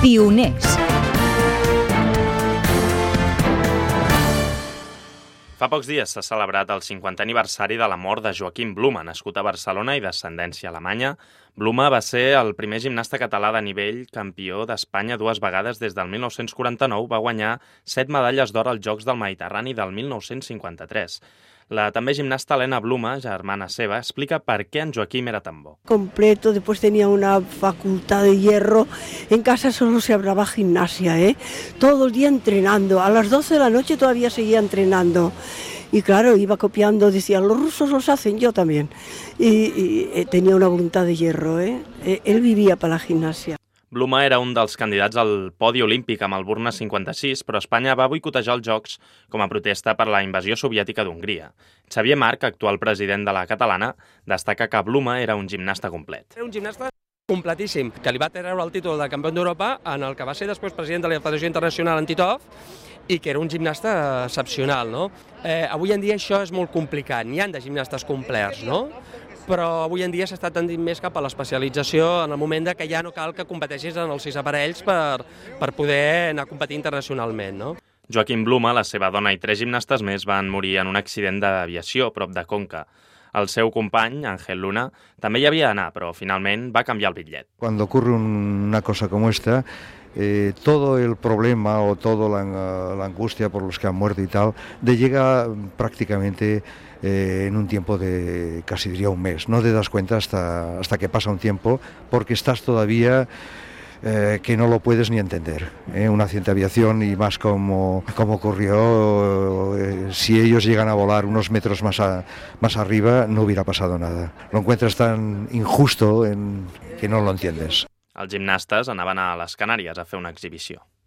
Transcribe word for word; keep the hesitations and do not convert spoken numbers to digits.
Pioners. Fa pocs dies s'ha celebrat el cinquantè aniversari de la mort de Joaquim Bluma, nascut a Barcelona i d'ascendència alemanya. Bluma va ser el primer gimnasta català de nivell, campió d'Espanya dues vegades des del mil nou-cents quaranta-nou, va guanyar set medalles d'or als Jocs del Mediterrani del mil nou-cents cinquanta-tres. La també gimnasta Helena Bluma, germana seva, explica per què en Joaquim era tan bo. Completo, después tenía una facultad de hierro. En casa solo se hablaba gimnasia, ¿eh? Todo el día entrenando. A las doce de la noche todavía seguía entrenando. Y claro, iba copiando, decía, los rusos los hacen, yo también. Y, y eh, tenía una voluntad de hierro, ¿eh? Él vivía para la gimnasia. Bluma era un dels candidats al podi olímpic amb el Burna cinquanta-sis, però Espanya va boicotejar els Jocs com a protesta per la invasió soviètica d'Hongria. Xavier Marc, actual president de la catalana, destaca que Bluma era un gimnasta complet. Era un gimnasta completíssim, que li va treure el títol de campió d'Europa, en el que va ser després president de la Federació Internacional Antitov, i que era un gimnasta excepcional, no? Eh, avui en dia això és molt complicat, n'hi ha de gimnastes complets, no? Però avui en dia s'està tendint més cap a l'especialització en el moment de que ja no cal que competeixis en els sis aparells per, per poder anar a competir internacionalment, no? Joaquim Bluma, la seva dona i tres gimnastes més van morir en un accident d'aviació prop de Conca. El seu company, Ángel Luna, també hi havia d'anar, però finalment va canviar el bitllet. Cuando ocurre una cosa como esta, eh, todo el problema o toda la, la angustia por los que han muerto y tal, de llega prácticamente eh, en un tiempo de casi diría un mes. No te das cuenta hasta, hasta que pasa un tiempo, porque estás todavía eh, que no lo puedes ni entender. ¿eh? Un accidente de aviación y más como, como ocurrió, eh, si ellos llegan a volar unos metros más, a, más arriba, no hubiera pasado nada. Lo encuentras tan injusto en, que no lo entiendes. Els gimnastes anaven a les Canàries a fer una exhibició.